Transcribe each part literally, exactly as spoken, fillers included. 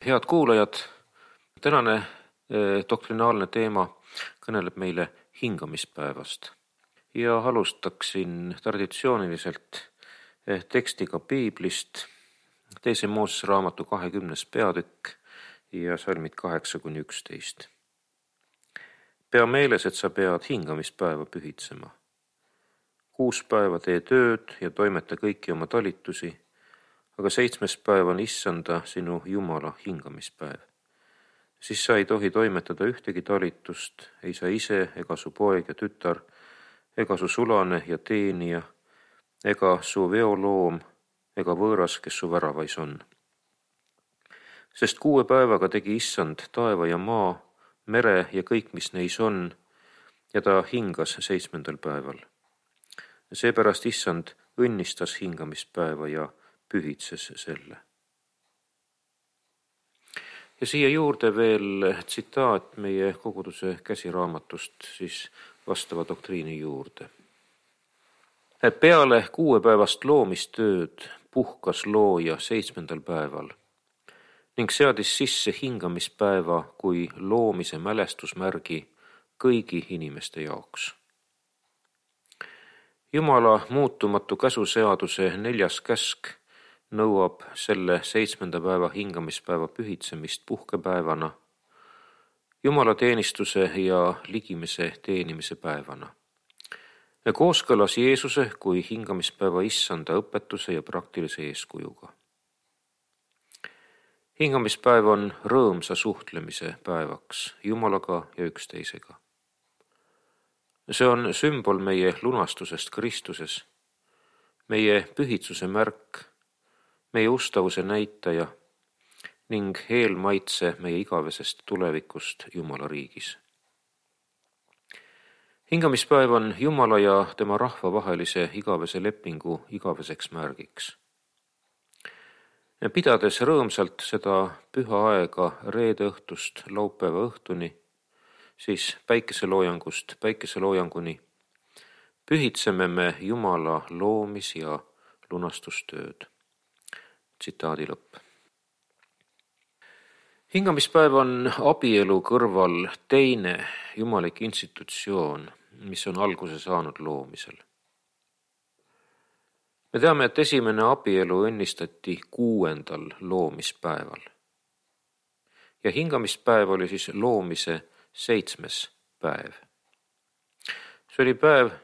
Head kuulajad, tänane eh, doktrinaalne teema kõneleb meile hingamispäevast ja alustaksin traditsiooniliselt eh, tekstiga Piiblist, teise Moosese raamatu kahekümnes peatükk ja salmid kaheksa kuni üksteist. Pea meeles, et sa pead hingamispäeva pühitsema. Kuus päeva tee tööd ja toimeta kõiki oma talitusi, aga seitsmes päev on issanda sinu Jumala hingamispäev. Siis sa ei tohi toimetada ühtegi talitust, ei sa ise ega su poeg ja tütar, ega su sulane ja teenija, ega su veoloom, ega võõras, kes su väravais on. Sest kuue päevaga tegi issand taeva ja maa, mere ja kõik, mis neis on, ja ta hingas seitsmendal päeval. Seepärast issand õnnistas hingamispäeva ja pühitses selle. Ja siia juurde veel tsitaat meie koguduse käsiraamatust siis vastava doktriini juurde. Peale kuuepäevast loomistööd puhkas looja seitsmendal päeval ning seadis sisse hingamispäeva kui loomise mälestusmärgi kõigi inimeste jaoks. Jumala muutumatu käsuseaduse neljas käsk nõuab selle seitsmenda päeva hingamispäeva pühitsemist puhkepäevana, Jumala teenistuse ja ligimise teenimise päevana. Kooskõlas Jeesuse kui hingamispäeva issanda õpetuse ja praktilise eeskujuga. Hingamispäev on rõõmsa suhtlemise päevaks Jumalaga ja üksteisega. See on sümbol meie lunastusest Kristuses, meie pühitsuse märk, meie ustavuse näitaja ning eelmaitse meie igavesest tulevikust Jumala riigis. Hingamispäev on Jumala ja tema rahva vahelise igavese lepingu igaveseks märgiks. Pidades rõõmsalt seda püha aega reede õhtust laupäeva õhtuni, siis päikeseloojangust päikeseloojanguni, pühitseme me Jumala loomis- ja lunastustööd. Tsitaadi lõpp. Hingamispäev on abielu kõrval teine jumalik institutsioon, mis on alguse saanud loomisel. Me teame, et esimene abielu õnnistati kuuendal loomispäeval. Ja hingamispäev oli siis loomise seitsmes päev. See oli päev,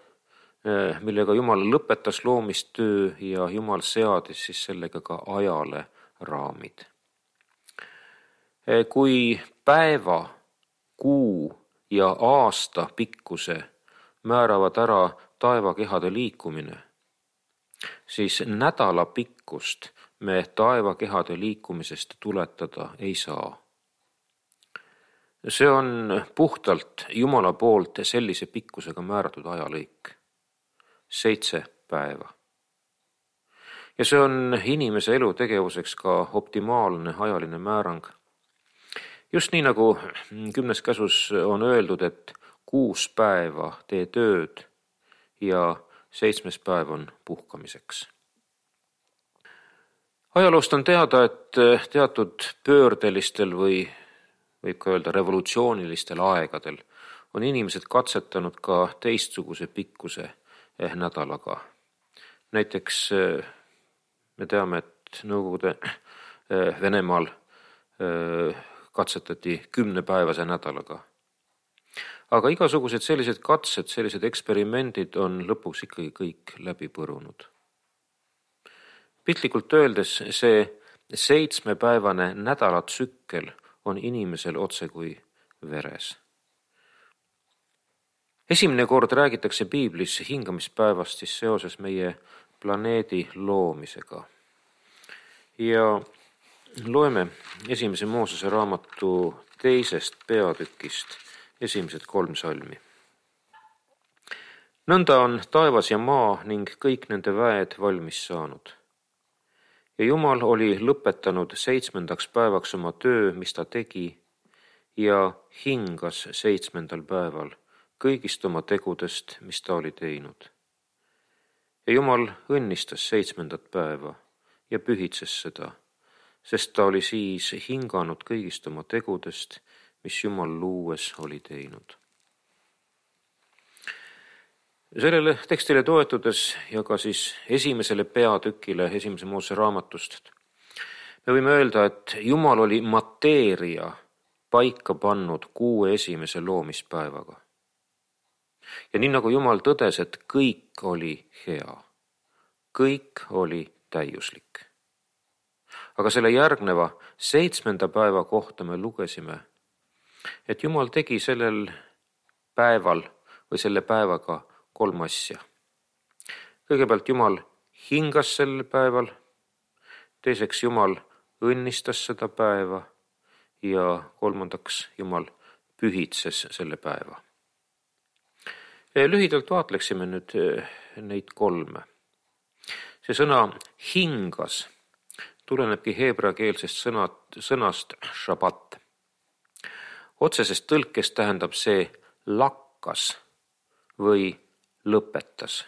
millega Jumal lõpetas loomistöö ja Jumal seadis siis sellega ka ajale raamid. Kui päeva, kuu ja aasta pikkuse määravad ära taevakehade liikumine, siis nädala pikkust me taevakehade liikumisest tuletada ei saa. See on puhtalt Jumala poolt sellise pikkusega määratud ajalõik. Seitse päeva. Ja see on inimese elutegevuseks ka optimaalne ajaline määrang. Just nii nagu kümnes käsus on öeldud, et kuus päeva tee tööd ja seitsmes päev on puhkamiseks. Ajaloost on teada, et teatud pöördelistel või võib ka öelda revolutsioonilistel aegadel on inimesed katsetanud ka teistsuguse pikkuse eh nädalaga. Näiteks me teame, et Nõukogude eh, Venemaal eh, katsetati kümnepäevase nädalaga. Aga igasugused sellised katsed, sellised eksperimendid on lõpuks ikkagi kõik läbi põrunud. Piltlikult öeldes see seitsmepäevane nädalatsükkel on inimesel otse kui veres. Esimene kord räägitakse Piiblis hingamispäevast siis seoses meie planeedi loomisega. Ja loeme esimese Moosese raamatu teisest peatükist esimesed kolm salmi. Nõnda on taevas ja maa ning kõik nende väed valmis saanud. Ja Jumal oli lõpetanud seitsmendaks päevaks oma töö, mis ta tegi, ja hingas seitsmendal päeval kõigist oma tegudest, mis ta oli teinud. Ja Jumal õnnistas seitsmendat päeva ja pühitses seda, sest ta oli siis hinganud kõigist oma tegudest, mis Jumal luues oli teinud. Sellele tekstile toetudes ja ka siis esimesele peatükile esimese Moosese raamatust me võime öelda, et Jumal oli mateeria paika pannud kuue esimese loomispäevaga. Ja nii nagu Jumal tõdes, et kõik oli hea, kõik oli täiuslik. Aga selle järgneva seitsmenda päeva kohta me lugesime, et Jumal tegi sellel päeval või selle päevaga kolm asja. Kõigepealt Jumal hingas sel päeval, teiseks Jumal õnnistas seda päeva ja kolmandaks Jumal pühitses selle päeva. Lühidalt vaatleksime nüüd neid kolme. See sõna hingas tulenebki heebreakeelsest sõnad, sõnast šabat. Otsesest tõlkest tähendab see lakkas või lõpetas.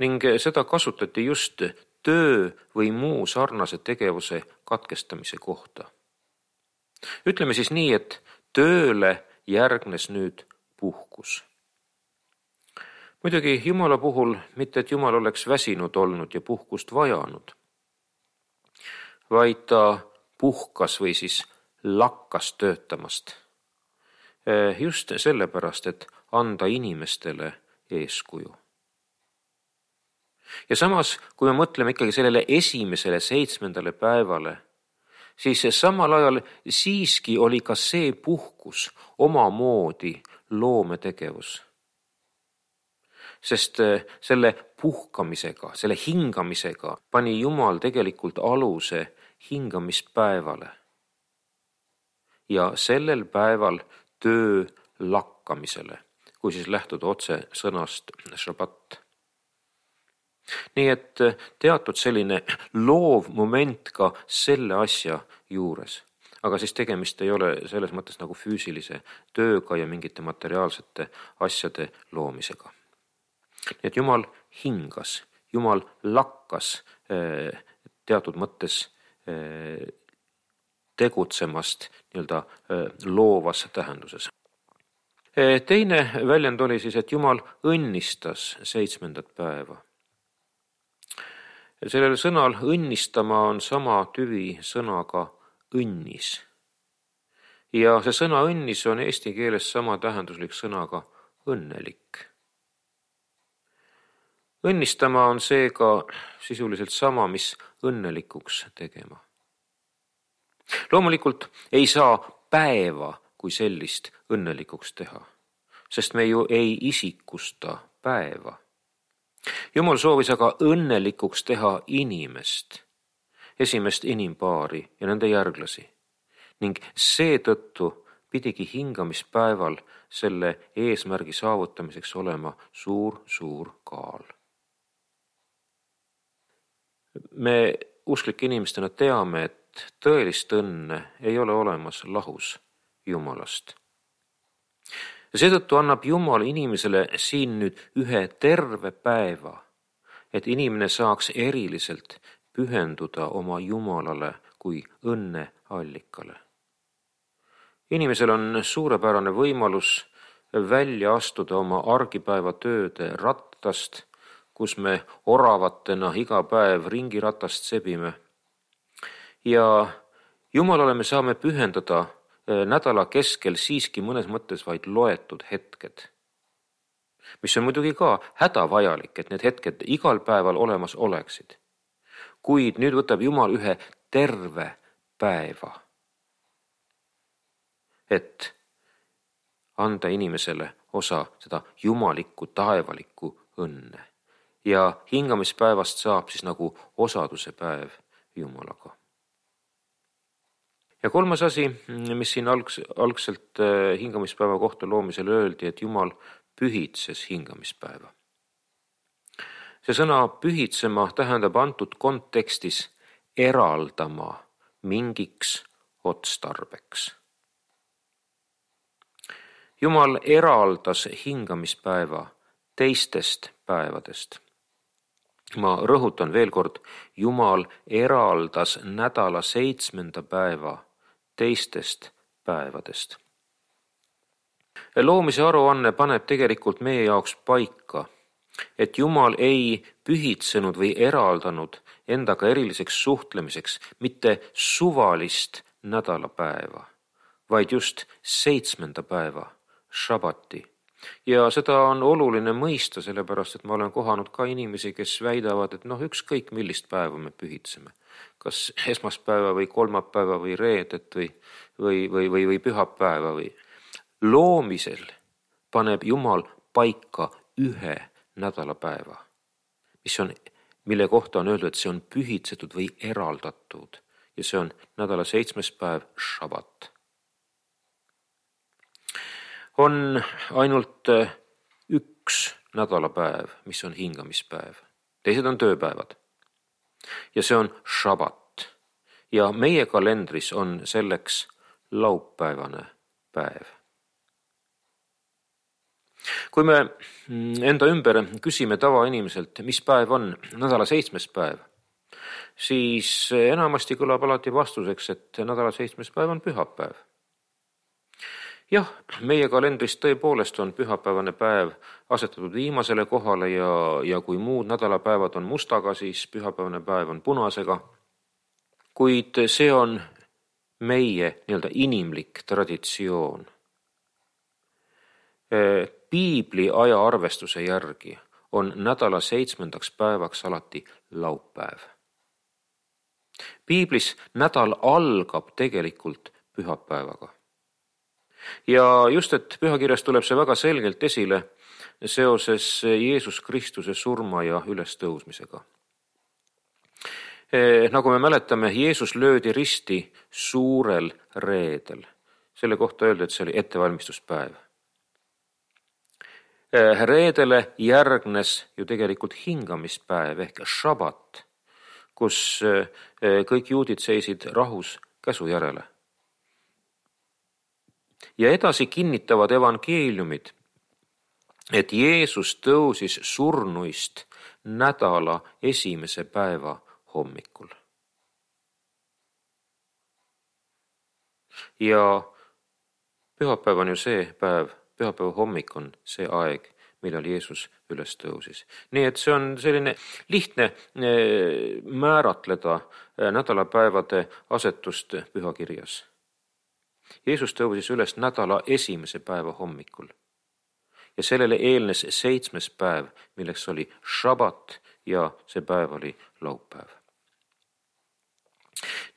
Ning seda kasutati just töö või muu sarnase tegevuse katkestamise kohta. Ütleme siis nii, et tööle järgnes nüüd puhkus. Muidugi Jumala puhul mitte, et Jumal oleks väsinud olnud ja puhkust vajanud, vaid ta puhkas või siis lakkas töötamast. Just sellepärast, et anda inimestele eeskuju. Ja samas, kui me mõtleme ikkagi sellele esimesele seitsmendale päevale, siis samal ajal siiski oli ka see puhkus omamoodi loometegevus. Sest selle puhkamisega, selle hingamisega pani Jumal tegelikult aluse hingamispäevale. Ja sellel päeval töö lakkamisele, kui siis lähtuda otse sõnast šabat. Nii et teatud selline loov moment ka selle asja juures. Aga siis tegemist ei ole selles mõttes nagu füüsilise tööga ja mingite materiaalsete asjade loomisega. Nii et Jumal hingas, Jumal lakkas teatud mõttes tegutsemast nii-öelda loovas tähenduses. Teine väljend oli siis, et Jumal õnnistas seitsmendat päeva. Sellel sõnal õnnistama on sama tüvi sõnaga õnnis. Ja see sõna õnnis on eesti keeles sama tähenduslik sõnaga õnnelik. Õnnistama on seega sisuliselt sama, mis õnnelikuks tegema. Loomulikult ei saa päeva kui sellist õnnelikuks teha, sest me ju ei isikusta päeva. Jumal soovis aga õnnelikuks teha inimest, esimest inimpaari ja nende järglasi, ning seetõttu pidigi hingamispäeval selle eesmärgi saavutamiseks olema suur, suur kaal. Me usklike inimestena teame, et tõelist õnne ei ole olemas lahus Jumalast. Ja seetõttu annab Jumal inimesele siin nüüd ühe terve päeva, et inimene saaks eriliselt pühenduda oma Jumalale kui õnne allikale. Inimesel on suurepärane võimalus välja astuda oma argipäeva tööde rattast, kus me oravatena iga päev ringiratast sebime. Ja Jumalale me saame pühendada nädala keskel siiski mõnes mõttes vaid loetud hetked, mis on muidugi ka hädavajalik, et need hetked igal päeval olemas oleksid. Kuid nüüd võtab Jumal ühe terve päeva, et anda inimesele osa seda jumalikku, taevalikku õnne. Ja hingamispäevast saab siis nagu osaduse päev Jumalaga. Ja kolmas asi, mis siin algs, algselt hingamispäeva kohta loomisel öeldi, et Jumal pühitses hingamispäeva. See sõna pühitsema tähendab antud kontekstis eraldama mingiks otstarbeks. Jumal eraldas hingamispäeva teistest päevadest. Ma rõhutan veel kord, Jumal eraldas nädala seitsmenda päeva teistest päevadest. Loomise aruanne paneb tegelikult meie jaoks paika, et Jumal ei pühitsenud või eraldanud endaga eriliseks suhtlemiseks mitte suvalist nädalapäeva, vaid just seitsmenda päeva, šabati. Ja seda on oluline mõista, sellepärast et ma olen kohanud ka inimesi, kes väidavad, et noh, ükskõik millist päeva me pühitseme. Kas esmaspäeva või kolmapäeva või reedet või, või, või, või, või pühapäeva või. Loomisel paneb Jumal paika ühe nädalapäeva, mis on, mille kohta on öeldud, et see on pühitsetud või eraldatud ja see on nädala seitsmes päev, šabat. On ainult üks nädalapäev, mis on hingamispäev. Teised on tööpäevad. Ja see on šabat. Ja meie kalendris on selleks laupäevane päev. Kui me enda ümber küsime tavainimiselt, mis päev on nädala seitsmes päev, siis enamasti kõlab alati vastuseks, et nädala seitsmes päev on pühapäev. Jah, meie kalendris tõepoolest on pühapäevane päev asetatud viimasele kohale ja, ja kui muud nädalapäevad on mustaga, siis pühapäevane päev on punasega. Kuid see on meie nii-öelda inimlik traditsioon. Piibli ajaarvestuse järgi on nädala seitsmendaks päevaks alati laupäev. Piiblis nädal algab tegelikult pühapäevaga. Ja just, et pühakirjas tuleb see väga selgelt esile seoses Jeesus Kristuse surma ja ülestõusmisega. Nagu me mäletame, Jeesus löödi risti suurel reedel. Selle kohta öeldi, et see oli ettevalmistuspäev. Reedele järgnes ju tegelikult hingamispäev ehk šabat, kus kõik juudid seisid rahus käsu järele. Ja edasi kinnitavad evangeeliumid, et Jeesus tõusis surnuist nädala esimese päeva hommikul. Ja pühapäev on ju see päev, pühapäeva hommik on see aeg, millal Jeesus üles tõusis. Nii et see on selline lihtne määratleda nädalapäevade asetust pühakirjas. Jeesus tõusis üles nädala esimese päeva hommikul ja sellele eelnes seitsmes päev, milleks oli šabat ja see päev oli laupäev.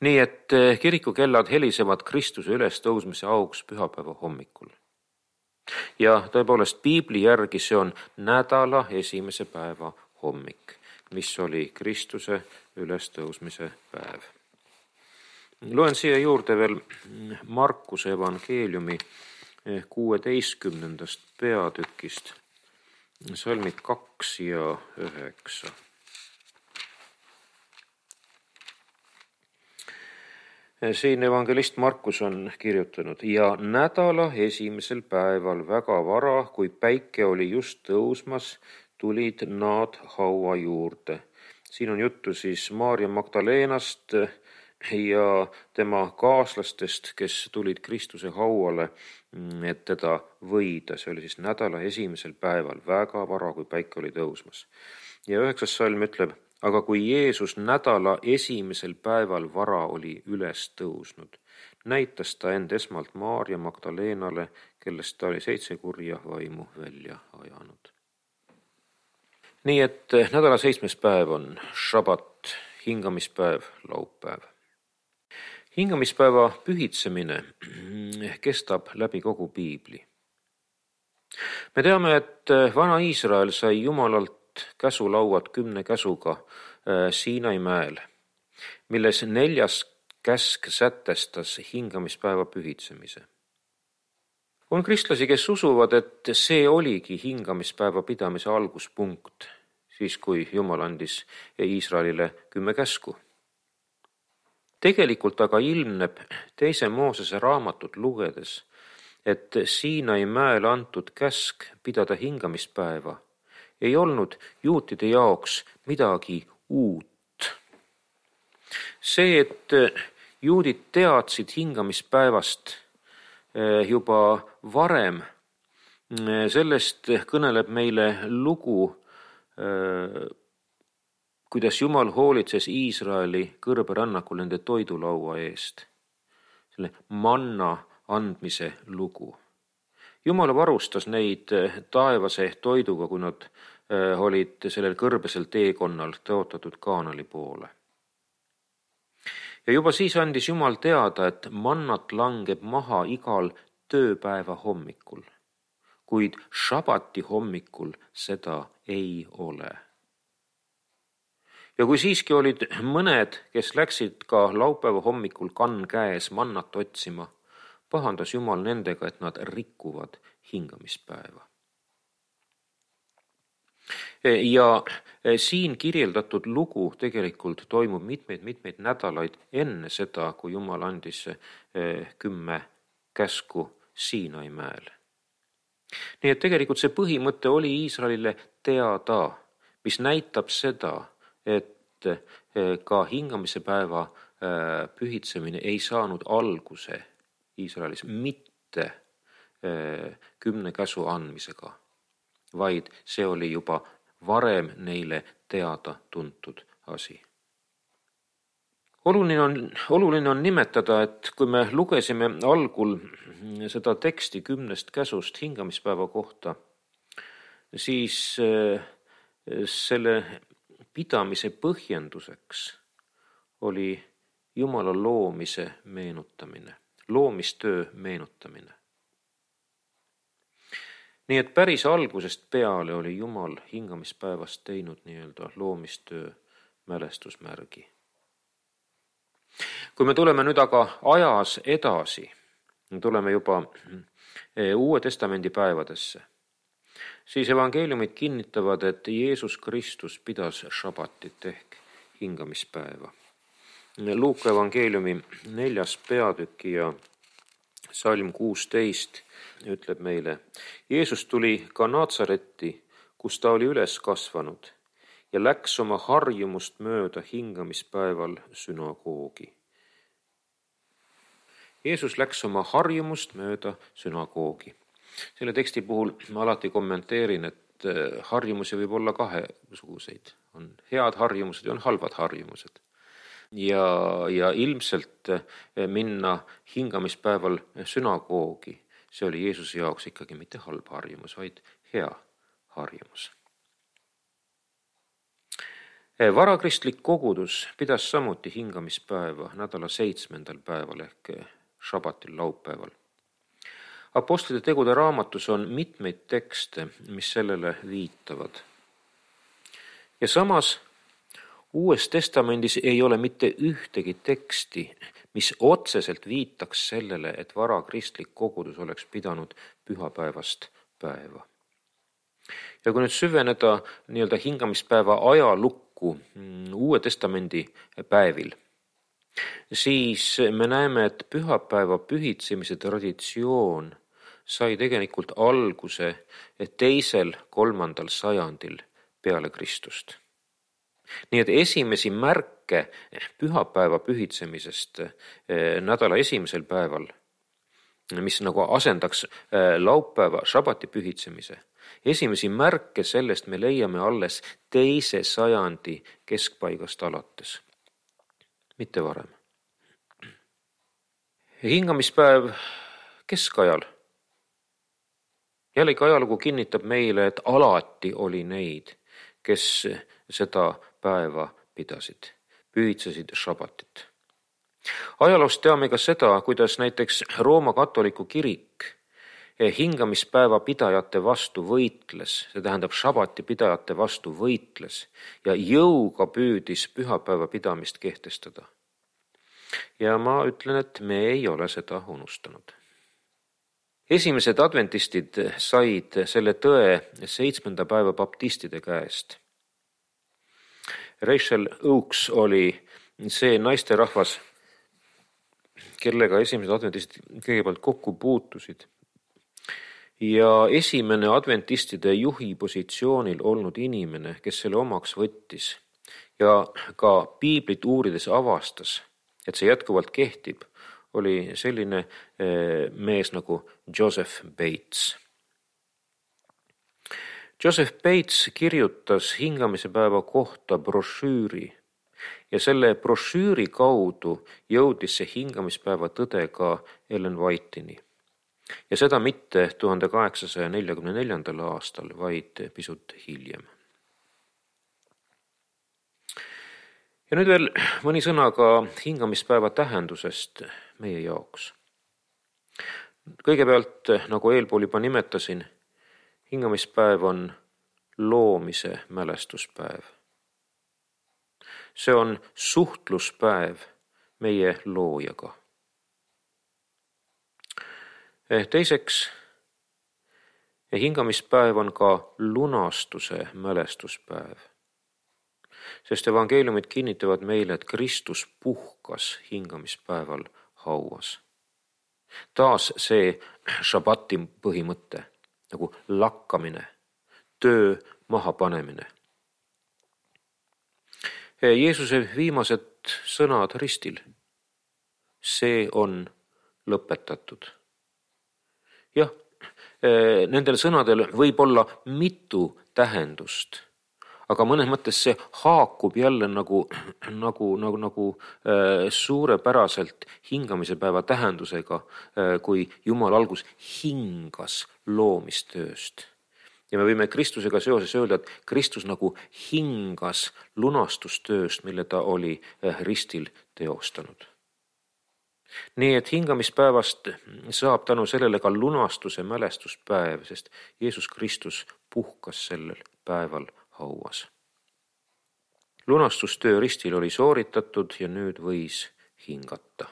Nii et kirikukellad helisevad Kristuse ülestõusmise auks pühapäeva hommikul. Ja tõepoolest Piibli järgi see on nädala esimese päeva hommik, mis oli Kristuse ülestõusmise päev. Loen siia juurde veel Markuse evangeeliumi kuueteistkümnendast peatükist, salmid kaks ja üheksa. Siin evangelist Markus on kirjutanud: ja nädala esimesel päeval väga vara, kui päike oli just tõusmas, tulid nad haua juurde. Siin on juttu siis Maarja Magdaleenast ja tema kaaslastest, kes tulid Kristuse hauale, et teda võida. See oli siis nädala esimesel päeval, väga vara, kui päike oli tõusmas. Ja üheksas salm ütleb: aga kui Jeesus nädala esimesel päeval vara oli üles tõusnud, näitas ta end esmalt Maarja Magdaleenale, kellest ta oli seitse kurja vaimu välja ajanud. Nii et nädala seitsmes päev on šabat, hingamispäev, laupäev. Hingamispäeva pühitsemine kestab läbi kogu Piibli. Me teame, et vana Iisrael sai Jumalalt käsulauad kümne käsuga Siinai mäel, milles neljas käsk sätestas hingamispäeva pühitsemise. On kristlasi, kes usuvad, et see oligi hingamispäeva pidamise alguspunkt, siis kui Jumal andis Iisraelile kümme käsku. Tegelikult aga ilmneb teise Moosese raamatut lugedes, et Siinai mäel antud käsk pidada hingamispäeva ei olnud juutide jaoks midagi uut. See, et juudid teadsid hingamispäevast juba varem, sellest kõneleb meile lugu, kuidas Jumal hoolitses Iisraeli kõrberännakul nende toidulaua eest. Selle manna andmise lugu. Jumal varustas neid taevase toiduga, kui nad olid sellel kõrbesel teekonnal tõotatud Kaanali poole. Ja juba siis andis Jumal teada, et mannat langeb maha igal tööpäeva hommikul, kuid šabati hommikul seda ei ole. Ja kui siiski olid mõned, kes läksid ka laupäeva hommikul kann käes mannat otsima, pahandas Jumal nendega, et nad rikuvad hingamispäeva. Ja siin kirjeldatud lugu tegelikult toimub mitmeid-mitmeid nädalaid enne seda, kui Jumal andis kümme käsku Siinai mäel. Nii et tegelikult see põhimõte oli Iisraelile teada, mis näitab seda, et ka hingamise päeva pühitsemine ei saanud alguse Iisraelis mitte kümne käsu andmisega, vaid see oli juba varem neile teada tuntud asi. Oluline on, oluline on nimetada, et kui me lugesime algul seda teksti kümnest käsust hingamispäeva kohta, siis selle pidamise põhjenduseks oli Jumala loomise meenutamine, loomistöö meenutamine. Nii et päris algusest peale oli Jumal hingamispäevast teinud nii-öelda loomistöö mälestusmärgi. Kui me tuleme nüüd aga ajas edasi, tuleme juba Uue Testamendi päevadesse, siis evangeeliumid kinnitavad, et Jeesus Kristus pidas šabatit ehk hingamispäeva. Luuka evangeeliumi neljas peatüki ja salm kuusteist ütleb meile, Jeesus tuli ka Natsaretti, kus ta oli üles kasvanud ja läks oma harjumust mööda hingamispäeval sünagoogi. Jeesus läks oma harjumust mööda sünagoogi. Selle teksti puhul ma alati kommenteerin, et harjumusi võib olla kahesuguseid. On head harjumused ja on halvad harjumused. Ja, ja ilmselt minna hingamispäeval sünagoogi, see oli Jeesuse jaoks ikkagi mitte halb harjumus, vaid hea harjumus. Varakristlik kogudus pidas samuti hingamispäeva nädala seitsmendal päeval ehk šabatil laupäeval. Apostlite tegude raamatus on mitmeid tekste, mis sellele viitavad. Ja samas Uues Testamendis ei ole mitte ühtegi teksti, mis otseselt viitaks sellele, et varakristlik kogudus oleks pidanud pühapäevast päeva. Ja kui nüüd süveneda nii-öelda hingamispäeva ajalukku Uue Testamendi päevil, siis me näeme, et pühapäeva pühitsemise traditsioon sai tegelikult alguse teisel, kolmandal sajandil peale Kristust. Nii et esimesi märke pühapäeva pühitsemisest nädala esimesel päeval, mis nagu asendaks laupäeva šabati pühitsemise, esimesi märke sellest me leiame alles teise sajandi keskpaigast alates, mitte varem. Hingamispäev keskajal. Jällegi ajalugu kinnitab meile, et alati oli neid, kes seda päeva pidasid, pühitsesid šabatit. Ajaloost teame ka seda, kuidas näiteks Rooma katoliku kirik hingamispäeva pidajate vastu võitles, see tähendab šabati pidajate vastu võitles ja jõuga püüdis pühapäeva pidamist kehtestada. Ja ma ütlen, et me ei ole seda unustanud. Esimesed adventistid said selle tõe seitsmenda päeva baptistide käest. Rachel Oakes oli see naisterahvas, kellega esimesed adventistid kõigepealt kokku puutusid. ja esimene adventistide juhi positsioonil olnud inimene, kes selle omaks võttis ja ka piiblit uurides avastas, et see jätkuvalt kehtib, oli selline mees nagu Joseph Bates. Joseph Bates kirjutas hingamise päeva kohta brošüüri ja selle brošüüri kaudu jõudis see hingamispäeva tõde ka Ellen White'ini. Ja seda mitte tuhande kaheksasaja neljakümne neljandal aastal, vaid pisut hiljem. Ja nüüd veel mõni sõna ka hingamispäeva tähendusest meie jaoks. Kõigepealt, nagu eelpool juba nimetasin, hingamispäev on loomise mälestuspäev. See on suhtluspäev meie loojaga. Teiseks, hingamispäev on ka lunastuse mälestuspäev, sest evangeeliumid kinnitavad meile, et Kristus puhkas hingamispäeval hauas. Taas see šabati põhimõte, nagu lakkamine, töö mahapanemine. Jeesuse viimased sõnad ristil. See on lõpetatud. Jah, nendel sõnadel võib olla mitu tähendust, aga mõnes mõttes see haakub jälle nagu, nagu, nagu, nagu suurepäraselt hingamise päeva tähendusega, kui Jumal algus hingas loomistööst. Ja me võime Kristusega seoses öelda, et Kristus nagu hingas lunastustööst, mille ta oli ristil teostanud. Nii et hingamispäevast saab tänu sellele ka lunastuse mälestuspäev, sest Jeesus Kristus puhkas sellel päeval hauas. Lunastustöö ristil oli sooritatud ja nüüd võis hingata.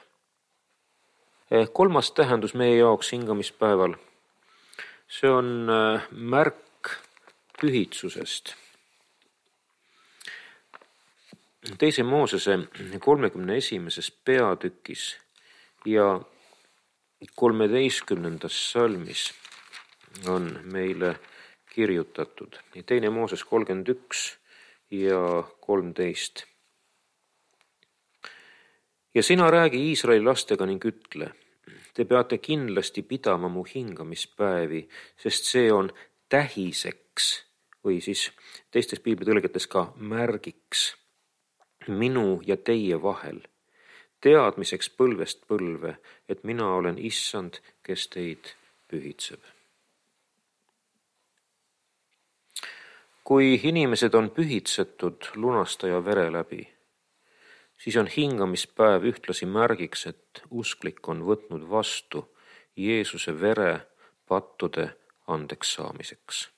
Kolmas tähendus meie jaoks hingamispäeval, see on märk pühitsusest. Teise Moosese kolmekümne esimeses peatükis ja kolmeteistkümnendas salmis on meile kirjutatud. Teine Mooses kolmkümmend üks ja kolmteist. Ja sina räägi Iisraeli lastega ning ütle, te peate kindlasti pidama mu hingamispäevi, sest see on tähiseks või siis teistes piiblitõlgetes ka märgiks minu ja teie vahel, teadmiseks põlvest põlve, et mina olen issand, kes teid pühitseb. Kui inimesed on pühitsetud lunastaja vere läbi, siis on hingamispäev ühtlasi märgiks, et usklik on võtnud vastu Jeesuse vere pattude andeks saamiseks.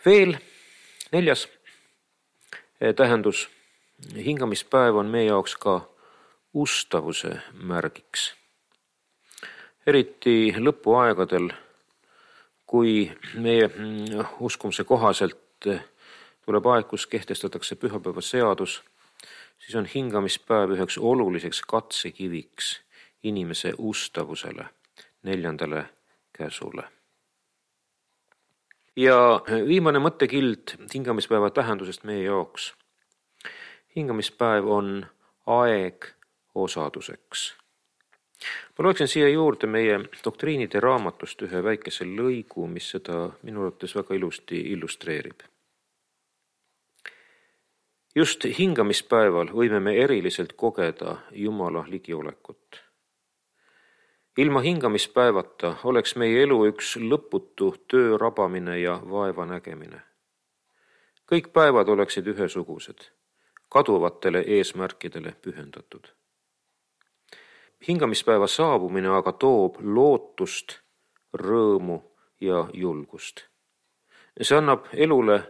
Veel neljas tähendus, hingamispäev on meie jaoks ka ustavuse märgiks. Eriti lõpuaegadel, kui meie uskumuse kohaselt tuleb aeg, kus kehtestatakse pühapäeva seadus, siis on hingamispäev üheks oluliseks katsekiviks inimese ustavusele, neljandale käsule. Ja viimane mõttekild hingamispäeva tähendusest meie jaoks. Hingamispäev on aeg osaduseks. Ma loeksin siia juurde meie doktriinide raamatust ühe väikese lõigu, mis seda minu arvates väga ilusti illustreerib. Just hingamispäeval võime me eriliselt kogeda Jumala ligiolekut. Ilma hingamispäevata oleks meie elu üks lõputu töö rabamine ja vaeva nägemine. Kõik päevad oleksid ühesugused, kaduvatele eesmärkidele pühendatud. Hingamispäeva saabumine aga toob lootust, rõõmu ja julgust. See annab elule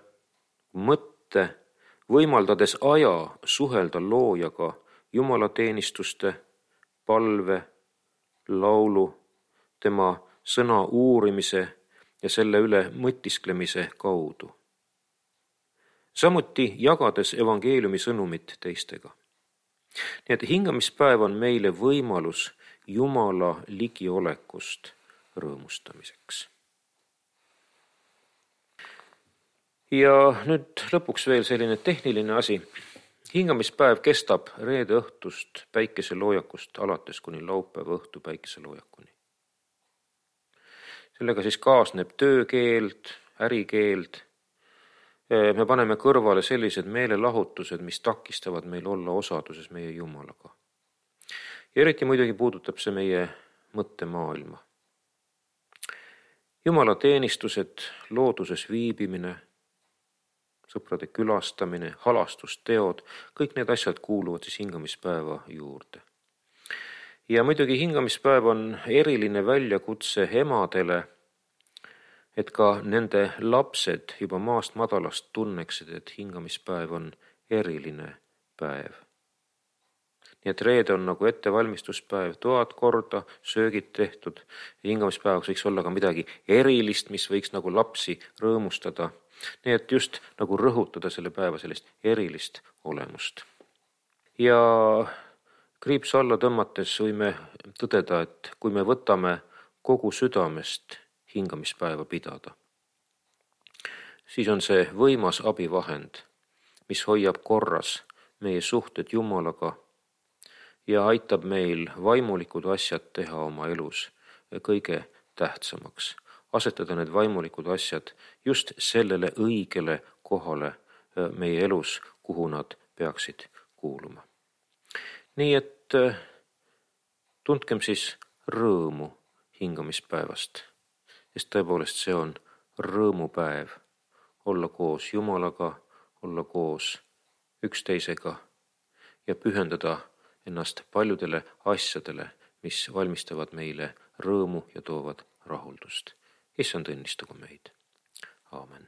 mõtte, võimaldades aja suhelda loojaga Jumala teenistuste, palve, laulu, tema sõna uurimise ja selle üle mõtisklemise kaudu. Samuti jagades evangeeliumi sõnumit teistega. Nii et hingamispäev on meile võimalus Jumala ligiolekust rõõmustamiseks. Ja nüüd lõpuks veel selline tehniline asi. Hingamispäev kestab reede õhtust päikeseloojakust alates kuni laupäeva õhtu päikeseloojakuni. Sellega siis kaasneb töökeeld, ärikeeld. Me paneme kõrvale sellised meelelahutused, mis takistavad meil olla osaduses meie Jumalaga. Ja eriti muidugi puudutab see meie mõttemaailma. Jumala teenistused, looduses viibimine, sõprade külastamine, halastusteod, kõik need asjad kuuluvad siis hingamispäeva juurde. Ja muidugi hingamispäev on eriline väljakutse emadele, et ka nende lapsed juba maast madalast tunneksid, et hingamispäev on eriline päev. Nii et reede on nagu ettevalmistuspäev, toad korda, söögid tehtud. Hingamispäevaks võiks olla ka midagi erilist, mis võiks nagu lapsi rõõmustada. Nii et just nagu rõhutada selle päeva sellist erilist olemust. Ja kriips alla tõmmates võime tõdeda, et kui me võtame kogu südamest hingamispäeva pidada, siis on see võimas abivahend, mis hoiab korras meie suhted Jumalaga ja aitab meil vaimulikud asjad teha oma elus kõige tähtsamaks. Asetada need vaimulikud asjad just sellele õigele kohale meie elus, kuhu nad peaksid kuuluma. Nii et tundkem siis rõõmu hingamispäevast, sest tõepoolest see on rõõmupäev, olla koos Jumalaga, olla koos üksteisega ja pühendada ennast paljudele asjadele, mis valmistavad meile rõõmu ja toovad rahuldust. Issand õnnistagu meid. Aamen.